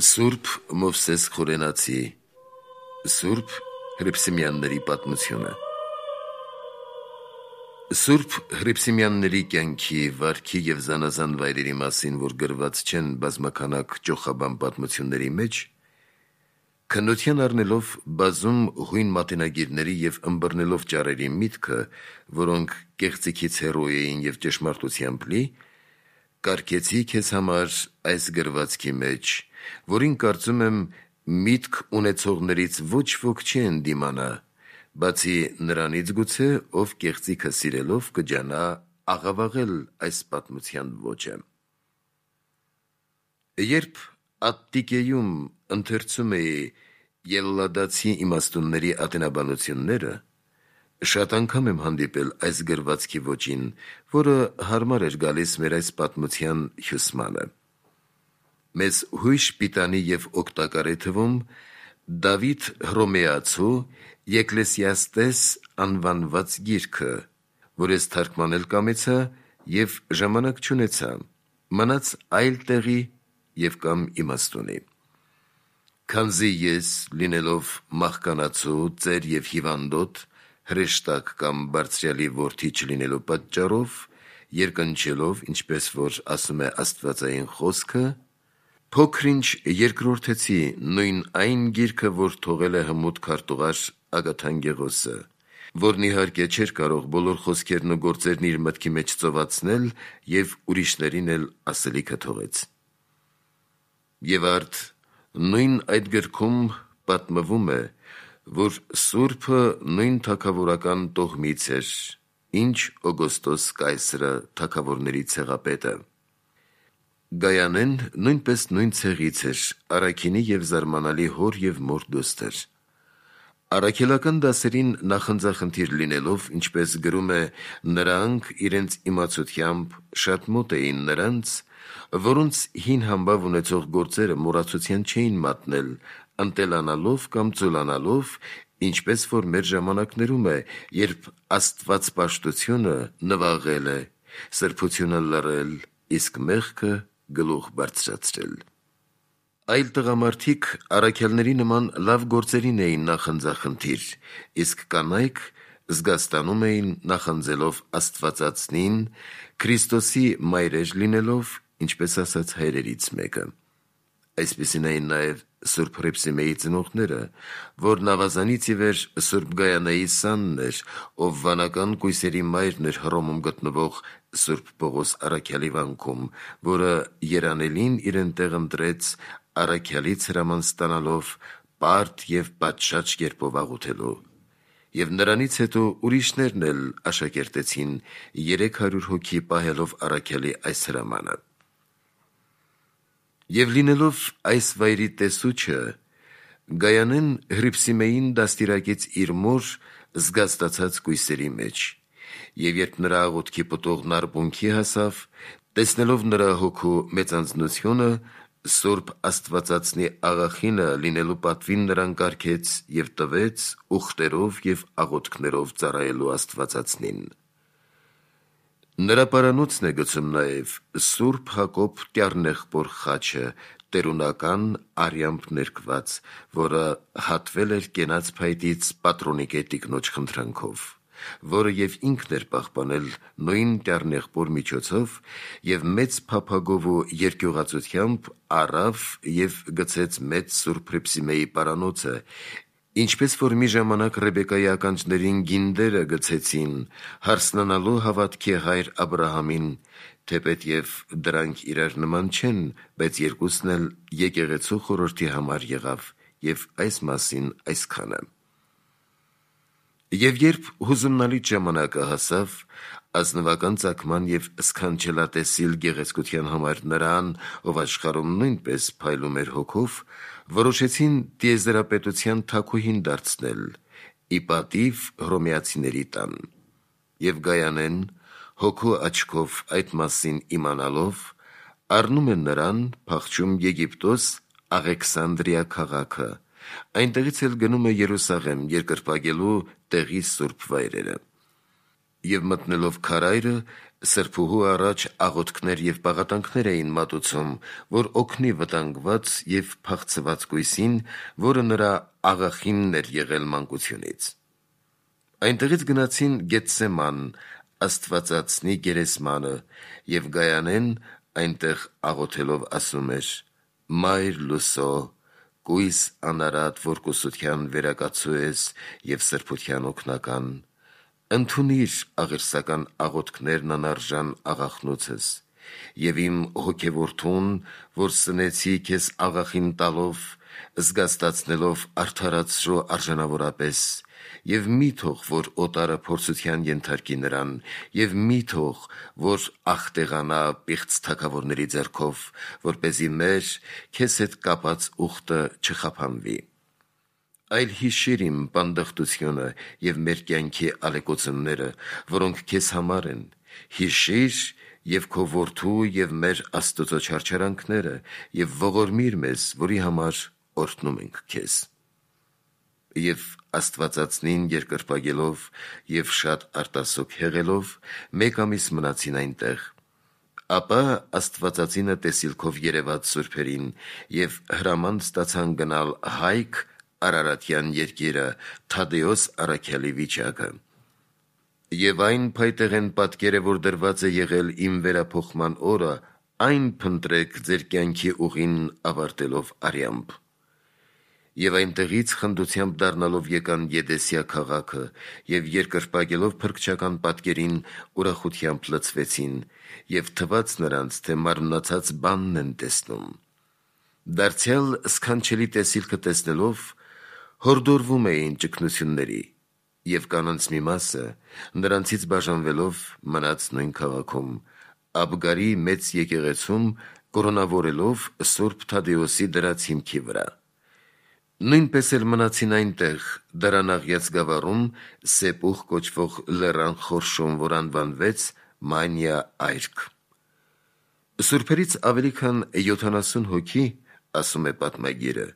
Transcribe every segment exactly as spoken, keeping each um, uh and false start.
Սուրբ Մովսես Խորենացի Սուրբ Հռիփսիմյանների պատմությունը Սուրբ Հռիփսիմյանների կյանքի, վարքի և զանազան վայրերի մասին, որ գրված չեն բազմաքանակ ճոխաբան պատմությունների մեջ, քննության առնելով բազում հույն մատենագիրների և ըմբռնելով ճարերի միտքը, որոնք կեղծիքից հեռու էին և ճշմարտությամբ լի, կարգեցի քեզ համար այս գրվածքի մեջ, որին կարծում եմ միտք ունեցողներից ոչ ոք չի ընդդիմանա, բացի նրանից գուցե, ով կեղծիքը սիրելով կջանա աղավաղել այս պատմության ոճը։ Երբ Ատտիկեում ընթերցում էի Ելլադացի իմաստունների ատենաբանությունները, շատ անգամ եմ հանդիպել այս գրվածքի ոճին, որը հարմար էր գալիս մեր այս պատմության հյուսմանը։ Մեզ հույժ պիտանի և օգտակար է թվում Դավիթ Հռոմեացու Եկլեսիաստես անվանված գիրքը, որ ես թարգմանել կամեցա և ժամանակ չունեցա, մնաց այլ տեղի և կամ իմաստունի։ Քանզի ես, լինելով մահկանացու, ծեր և հիվանդոտ, հրեշտակ կամ բարձրյալի որդի չլինելու պատճառով, երկնչելով, ինչպես որ ասում է աստվածային խոսքը, փոքր-ինչ երկրորդեցի նույն այն գիրքը, որ թողել է հմուտ քարտուղար Ագաթանկեղոսը, որն իհարկե չէր կարող բոլոր խոսքերն ու գործերն իր մտքի մեջ ծովածնել և ուրիշներին էլ ասելիքը թողեց։ Եվ արդ նույն այդ գրքում պատմվում է, որ Սուրբը նույն թագավորական տոհմից էր, ինչ Օգոստոս Կայսրը թագավորների ցեղապետը։ Գայանեն նույնպես նույն ցեղից էր, առաքինի և զարմանալի հոր և մոր դուստր։ Առաքելական դասերին նախընձախնդիր լինելով, ինչպես գրում է, նրանք իրենց իմացությամբ շատ մոտ էին նրանց, որոնց հին համբավ ունեցող գործերը մոռացության չէին մատնել, ընտելանալով կամ ծուլանալով, ինչպես որ մեր ժամանակներում է, երբ աստվածպաշտությունը նվաղել է, սրբությունը լռել, իսկ մեղքը գլուխ բարձրացրել։ Այլ տղամարդիկ առաքյալների նման լավ գործերին էին նախընձախնդիր, իսկ կանայք զգաստանում էին նախանձելով Աստվածածնին, Քրիստոսի մայրեր լինելով, ինչպես ասած հայրերից մեկը։ Այսպիսին էին նաև Սուրբ Հռիփսիմեի ծնողները, որն ավազանից ի վեր Սուրբ Գայանայի սանն էր, ով վանական կույսերի մայրն էր Հռոմում գտնվող Սուրբ Պողոս առաքյալի վանքում, որը երանելին իրեն տեղ ընտրեց առաքյալից հրաման ստանալով պարտ և պատշաճ կերպով աղոթելու, և նրանից հետո ուրիշներն էլ աշակերտեցին երեք հարյուր հոգի պահելով առաքյալի այս հրամանը։ Եվ լինելով այս վայրի տեսուչը, Գայանեն Հռիփսիմեին դաստիարակեց իր մոր զգաստացած կույսերի մեջ, և երբ նրա աղոթքի պտուղն արբունքի հասավ, տեսնելով նրա հոգու մեծանձնությունը, Սուրբ Աստվածածնի աղախինը լինելու պատվին նրան կարգեց և տվեց ուխտերով և աղոթքներով ծառայելու Աստվածածնին։ Նրա պարանոցն է գցում նաև Սուրբ Հակոբ Տյառնեղբոր խաչը, տերունական արյամբ ներկված, որը հատվել էր կենաց փայտից Պատրոնիկե տիկնոջ խնդրանքով, որը և ինքն էր պահպանել նույն Տյառնեղբոր միջոցով և մեծ փափագով ու երկյուղածությամբ առավ և գցեց մեծ Սուրբ Հռիփսիմեի պարանոցը, ինչպես որ մի ժամանակ Ռեբեկայի ականջներին գինդերը գցեցին, հարցնանալու հավատքի հայր Աբրահամին, թեպետև դրանք իրար նման չեն, բայց երկուսն էլ եկեղեցու խորհրդի համար եղավ, և այս մասին այսքանը։ Եվ երբ հուզումնալից ժամանակը հասավ, ազնվական ծագման և սքանչելատեսիլ գեղեցկության համար նրան, ով աշխարհում նույնպես փայլում էր հոգով, որոշեցին տիեզերապետության թագուհին դարձնել, ի պատիվ հռոմեացիների տան։ Եվ Գայանեն, հոգու աչքով այդ մասին իմանալով, առնում է նրան, փախչում Եգիպտոս Աղեքսանդրիա քաղաքը, այնտեղից էլ գնում է Երուսաղեմ երկրպագելու տեղի սուրբ վայրերը։ Եվ մտնելով քարայրը, Սրբուհու առաջ աղոթքներ և պաղատանքներ էին մատուցում, որ օգնի վտանգված և փախցված կույսին, որը նրա աղախինն էր եղել մանկությունից։ Այնտեղից գնացին Գեթսեման, Աստվածածնի գերեզմանը, և Գայանեն այնտեղ աղոթելով ասում էր. «Մայր լուսո, կույս անարատ, որ կուսության վերակացու ես և սրբության օգնական, ընդունիր աղերսական աղոթքներն անարժան աղախնոցս և իմ հոգևորթուն, որ սնեցի քեզ աղախին տալով, զգաստացնելով արդարացրո արժանավորապես, և մի թող, որ օտարը փորձության ենթարկի նրան, և մի թող, որ աղտեղանա պիղծ թագավորների ձեռքով, որպեսզի մեր քեզ հետ կապած ուխտը չխափանվի։ Այլ հիշիր իմ պանդխտությունը և մեր կյանքի ալեկոծումները, որոնք քեզ համար են, հիշիր և քո որդու և մեր Աստծո չարչարանքները և ողորմիր մեզ, որի համար օրհնում ենք քեզ»։ Եվ Աստվածածնին երկրպագելով և շատ արտասուք հեղելով, մեկ ամիս մնացին այնտեղ։ Ապա Աստվածածինը տեսիլքով երևաց սուրբերին, և հրաման ստացան գնալ Հայք, Արարատյան երկիրը, Թադեոս առաքյալի վիճակը։ Եվ այն փայտեղեն պատկերը, որ դրված է եղել իմ վերափոխման օրը, այն փնտրեք ձեր կյանքի ուղին ավարտելով արյամբ։ Եվ այնտեղից խնդությամբ դառնալով եկան Եդեսիա քաղաքը և երկրպագելով փրկչական պատկերին ուրախությամբ լցվեցին, և թվաց նրանց, թե մարմնացած բանն են տեսնում։ Դարձյալ սքանչելի տեսիլքը տեսնելով, հորդորվում էին ճգնությունների, և կանանց մի մասը, նրանցից բաժանվելով, մնաց նույն քաղաքում, Աբգարի մեծ եկեղեցում, կորոնավորելով Սուրբ Թադեոսի դրած հիմքի վրա։ Նույնպես էլ մնացին այնտեղ Դարանաղյաց գավառում Սեպուխ կոչվող լեռան խորշում, որ անվանվեց Մանիա այրք։ Սուրբերից ավելի քան յոթանասուն հոգի, ասում է պատմագիրը,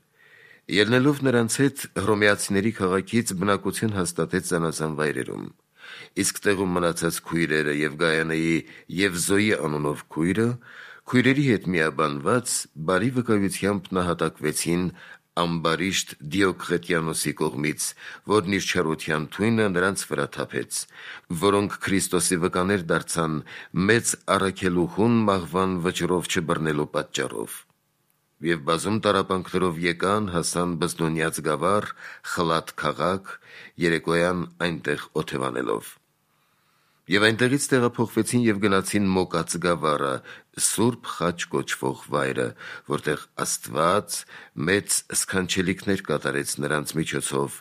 ելնելով նրանց հետ, հռոմեացիների քաղաքից բնակություն հաստատեց զանազան վայրերում, իսկ տեղում մնացած քույրերը և Գայանեի և Զոյի անունով քույրը, քույրերի հետ միաբանված, բարի վկայությամբ նահատակվեցին ամբարիշտ Դիոկղետիանոսի կողմից, որն իր չարության թույնը նրանց վրա թափեց, որոնք Քրիստոսի վկաներ դարձան մեծ առաքելուհուն մահվան վճռով չբռնելու պատճառով։ Եվ բազում տառապանքներով եկան, հասան Բզդոնյաց գավառ, Խլատ քաղաք, երեկոյան այնտեղ օթևանելով։ Եվ այնտեղից տեղափոխվեցին և գնացին Մոկած գավառը, Սուրբ Խաչ կոչվող վայրը, որտեղ Աստված մեծ սքանչելիքներ կատարեց նրանց միջոցով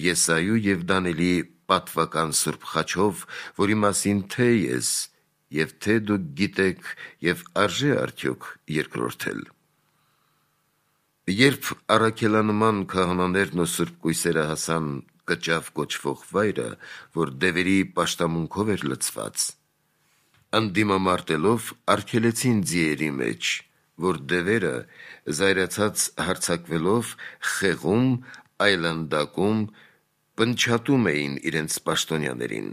Եսայու և Դանիելի պատվական Սուրբ Խաչով, որի մասին թե՛ ես և թե՛ դուք գիտեք և արժե՞ արդյոք երկրորդել։ Երբ առաքելանման քահանաներն ու սուրբ կույսերը հասան Կճավ կոչվող վայրը, որ դևերի պաշտամունքով էր լցված, ընդդիմամարտելով արգելեցին ձիերի մեջ, որ դևերը զայրացած հարձակվելով խեղում, այլանդակում, պնչատում էին իրենց պաշտոնյաներին։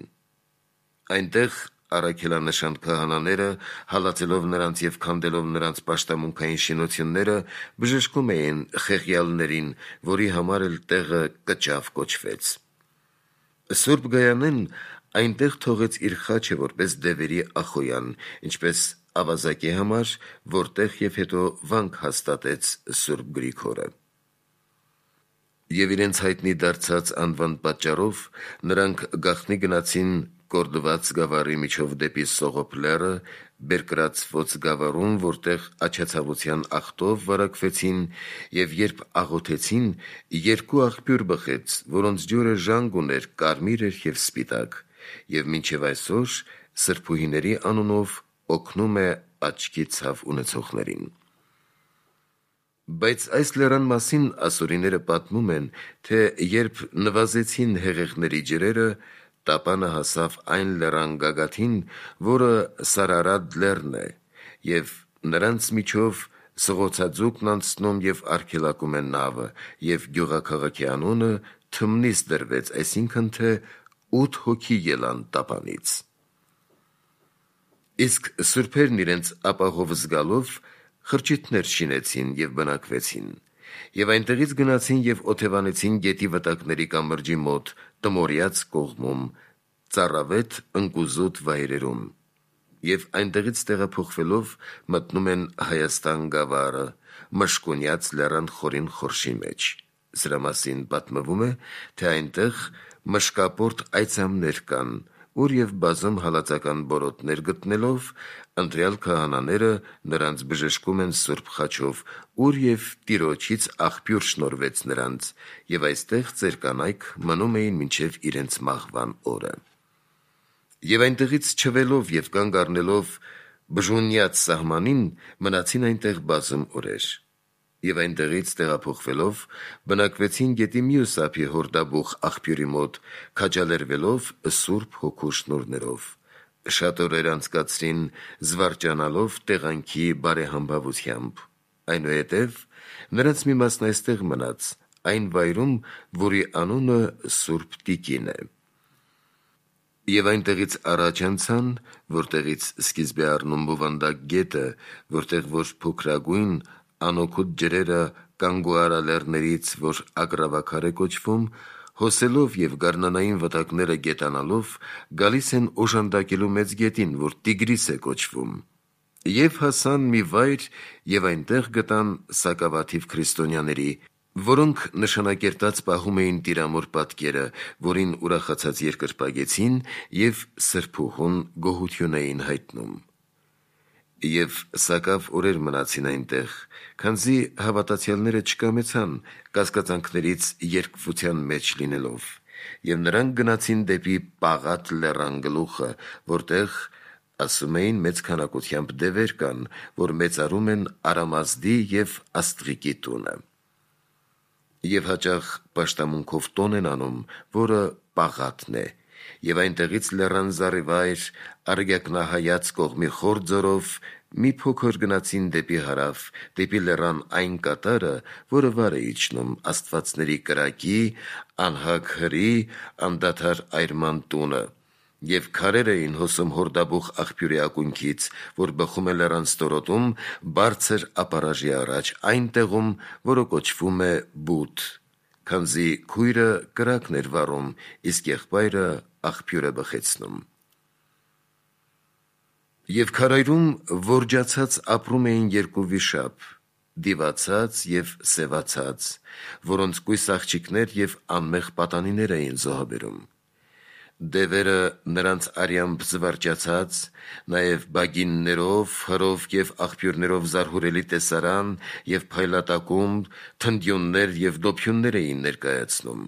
Այնտեղ առաքելանշան քահանաները, հալածելով նրանց և քանդելով նրանց պաշտամունքային շինությունները, բժշկում էին խեղյալներին, որի համար էլ տեղը Կճավ կոչվեց։ Սուրբ Գայանեն այնտեղ թողեց իր խաչը որպես դևերի ախոյան, ինչպես ավազակի համար, որտեղ և հետո վանք հաստատեց Սուրբ Գրիգորը։ Եվ իրենց հայտնի դարձած անվան պատճառով նրանք գաղտնի գնացին Կորդված գավառի միջով դեպի Սողոպ լեռը, Բերկրացվոց գավառում, որտեղ աչացավության աղտով վարակվեցին, և երբ աղոթեցին, երկու աղբյուր բխեց, որոնց ջուրը ժանգ ուներ, կարմիր էր և սպիտակ, և մինչև այսօր սրբուհիների անունով օգնում է աչքի ցավ ունեցողներին։ Բայց այս լեռան մասին ասորիները պատմում են, թե երբ նվազեցին հեղեղների ջրերը, տապանը հասավ այն լեռան գագաթին, որը Սարարադ լեռն է, և նրանց միջով սղոցաձուկն անցնում և արգելակում է նավը, և գյուղաքաղաքի անունը թմնից դրվեց, այսինքն թե ութ հոգի ելան տապանից։ Իսկ սուրբերն իրենց ապահով զգալով խրճիթներ շինեցին և բնակվեցին, և այնտեղից գնացին և օթևանեցին գետի վտակների կամրջի մոտ Տմորիաց կողմում, ծառավետ ընկուզոտ վայրերում, և այնտեղից տեղափոխվելով մտնում են Հայաստան գավառը, Մշկոնյաց լեռան խորին խորշի մեջ։ Սրա մասին պատմվում է, թե այնտեղ մշկապորտ այծամներ կան, ուր և բազում հալածական բորոտներ գտնելով, ընտրյալ քահանաները նրանց բժշկում են սուրբ խաչով, ուր և Տիրոջից աղբյուր շնորհվեց նրանց, և այստեղ ծեր կանայք մնում էին մինչև իրենց մահվան օրը։ Եվ այնտեղից չվելով և կանգ առնելով Բժունյաց սահմանին, մնացին այնտեղ բազում օրեր, և այնտեղից տեղափոխվելով բնակվեցին գետի մյուս ափի Հորդաբուխ աղբյուրի մոտ, քաջալերվելով Սուրբ Հոգու շնորհներով։ Շատ օրեր անցկացրին զվարճանալով տեղանքի բարեհամբավությամբ։ Այնուհետև նրանց մի մասն այստեղ մնաց, այն վայրում, որի անունը Սուրբ Տիկին է։ Եվ այնտեղից առաջ անցան, որտեղից սկիզբ է առնում Բովանդակ գետը, որտեղ որ փոքրագույն անօգուտ ջրերը Կանգուարա լեռներից, որ Ակրավաքար է կոչվում, հոսելով և գարնանային վտակները գետանալով, գալիս են օժանդակելու մեծ գետին, որ Տիգրիս է կոչվում, և հասան մի վայր և այնտեղ գտան սակավաթիվ քրիստոնյաների, որոնք նշանակերտած պահում էին Տիրամոր պատկերը, որին ուրախացած երկրպագեցին և սրբուհուն գոհություն էին հայտնում։ Եվ սակավ օրեր մնացին այնտեղ, քանզի հավատացյալները չկամեցան կասկածանքներից երկվության մեջ լինելով, և նրանք գնացին դեպի Պաղատ լեռան գլուխը, որտեղ, ասում էին, մեծ քանակությամբ դևեր կան, որ մեծարում են Արամազդի և Աստղիկի տունը, և հաճախ պաշտամունքով տոն են անում, որը Պաղատն է, և այնտեղից լեռան զառիվայր Արգякնահայաց կողմի խոր ձորով մի փոքր գնացին դեպի հարավ, դեպի լեռան այն կատարը, որը վար է իջնում աստվածների կրակի, անհագ հրի, անդադար այրման տունը, և քարեր էին հոսում Հորդաբուխ աղբյուրի ակունքից, որ բխում է լեռան ստորոտում, բարձր ապարաժի առաջ, այն տեղում, որը կոչվում է Բութ, քանզի քույրը կրակն էր վառում, իսկ եղբայրը աղբյուր է բխեցնում։ Եվ քարայրում որջացած ապրում էին երկու վիշապ, Դիվացած և Սևացած, որոնց կույս աղջիկներ և անմեղ պատանիներ էին զոհաբերում։ Դևերը նրանց արյամբ զվարճացած, նաև բագիններով, հրով և աղբյուրներով զարհուրելի տեսարան և փայլատակում, թնդյուններ և դոփյուններ էին ներկայացնում,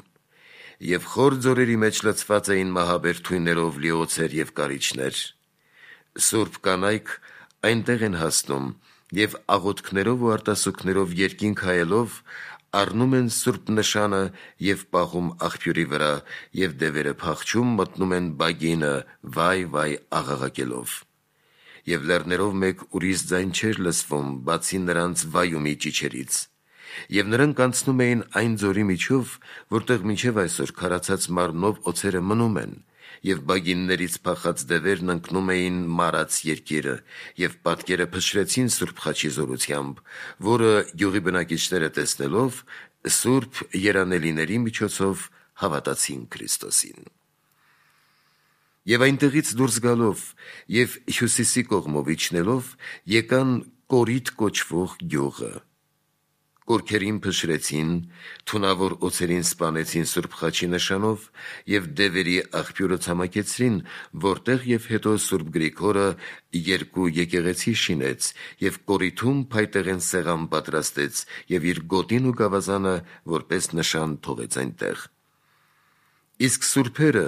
և խոր ձորերի մեջ լցված էին մահաբեր թույներով լի օձեր և կարիճներ։ Սուրբ կանայք այնտեղ են հասնում և աղոթքներով ու արտասուքներով երկինք հայելով առնում են սուրբ նշանը և պահում աղբյուրի վրա, և դևերը փախչում մտնում են բագինը վայ, վայ աղաղակելով։ Եվ լեռներով մեկ ուրիշ ձայն չէր լսվում, բացի նրանց վայումի ճիչերից։ Եվ նրանք անցնում էին այն ձորի միջով, որտեղ մինչև այսօր քարացած մարմնով օձերը մնում են, և բագիններից փախած դևերն ընկնում էին Մարաց երկիրը, և պատկերը փշրեցին Սուրբ Խաչի զորությամբ, որը գյուղի բնակիչները տեսնելով, սուրբ երանելիների միջոցով հավատացին Քրիստոսին։ Եվ այնտեղից դուրս գալով և հյուսիսի կողմով իջնելով, եկան Կորիթ կոչվող գյուղը, կորքերին փշրեցին, թունավոր օձերին սպանեցին Սուրբ Խաչի նշանով և դևերի աղբյուրը ցամաքեցրին, որտեղ և հետո Սուրբ Գրիգորը երկու եկեղեցի շինեց և Կորիթում փայտեղեն սեղան պատրաստեց և իր գոտին ու գավազանը որպես նշան թողեց այնտեղ։ Իսկ սուրբերը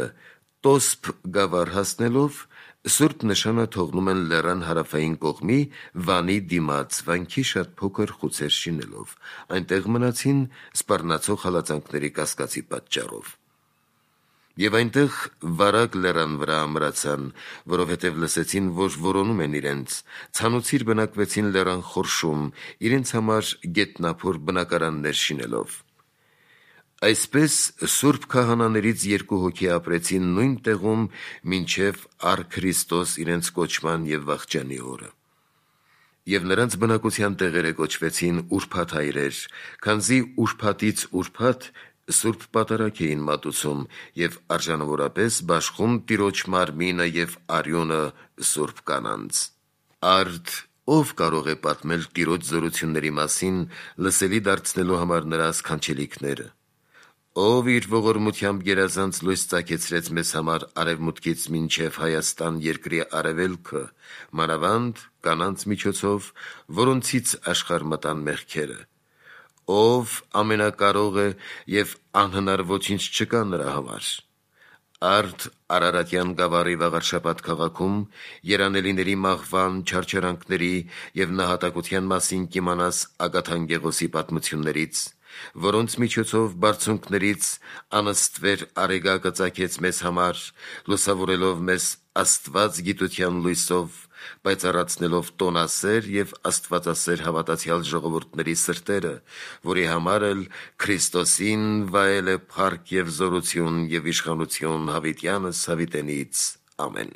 Տոսփ գավառ հասնելով, սուրբ նշանը թողնում են լեռան հարավային կողմի վանի դիմաց վանքի շատ փոքր խուցեր շինելով, այնտեղ մնացին սպառնացող հալածանքների կասկածի պատճառով։ Եվ այնտեղ վարակ լեռան վրա ամրացան, որովհետև լսեցին, որ որոնում են իրենց, ցանուցիր բնակվեցին լեռան խորշում, իրենց համար գետնափոր բնակարաններ շինելով։ Այսպես Սուրբ քահանաներից երկու հոգի ապրեցին նույն տեղում մինչև առ Քրիստոս իրենց կոչման եւ վախճանի օրը։ Եվ նրանց բնակության տեղերը կոչվեցին ուրբաթ հայրեր, քանզի ուրբաթից ուրբաթ Սուրբ պատարագ էին մատուցում եւ արժանավորապես բաշխում Տիրոջ մարմինը եւ արյունը Սուրբ կանանց։ Արդ ով կարող է պատմել Տիրոջ զորությունների մասին, լսելի դարձնելու համար նրա սքանչելիքները։ Ով իր ողորմությամբ գերազանց լույս ծագեցրեց մեզ համար արևմուտքից մինչև Հայաստան երկրի արևելքը, մանավանդ կանանց միջոցով, որոնցից աշխարհ մտան մեղքերը։ Ով ամենակարող է եւ անհնար ոչինչ չկա նրա համար։ Արդ Արարատյան գավառի Վաղարշաբաթ քաղաքում երանելիների մահվան, չարչարանքների եւ նահատակության մասին կիմանաս Ագաթան Գեղոսի պատմություններից, որոնց միջոցով բարձունքներից անըստվեր Արեգակը ծագեց մեզ համար, լուսավորելով մեզ Աստված գիտության լույսով, պայծառացնելով տոնասեր եւ աստվածասեր հավատացյալ ժողովուրդների սրտերը, որի համար էլ Քրիստոսին վայել է փառք եւ զորություն եւ իշխանություն հավիտյանս հավիտենից։ Ամեն։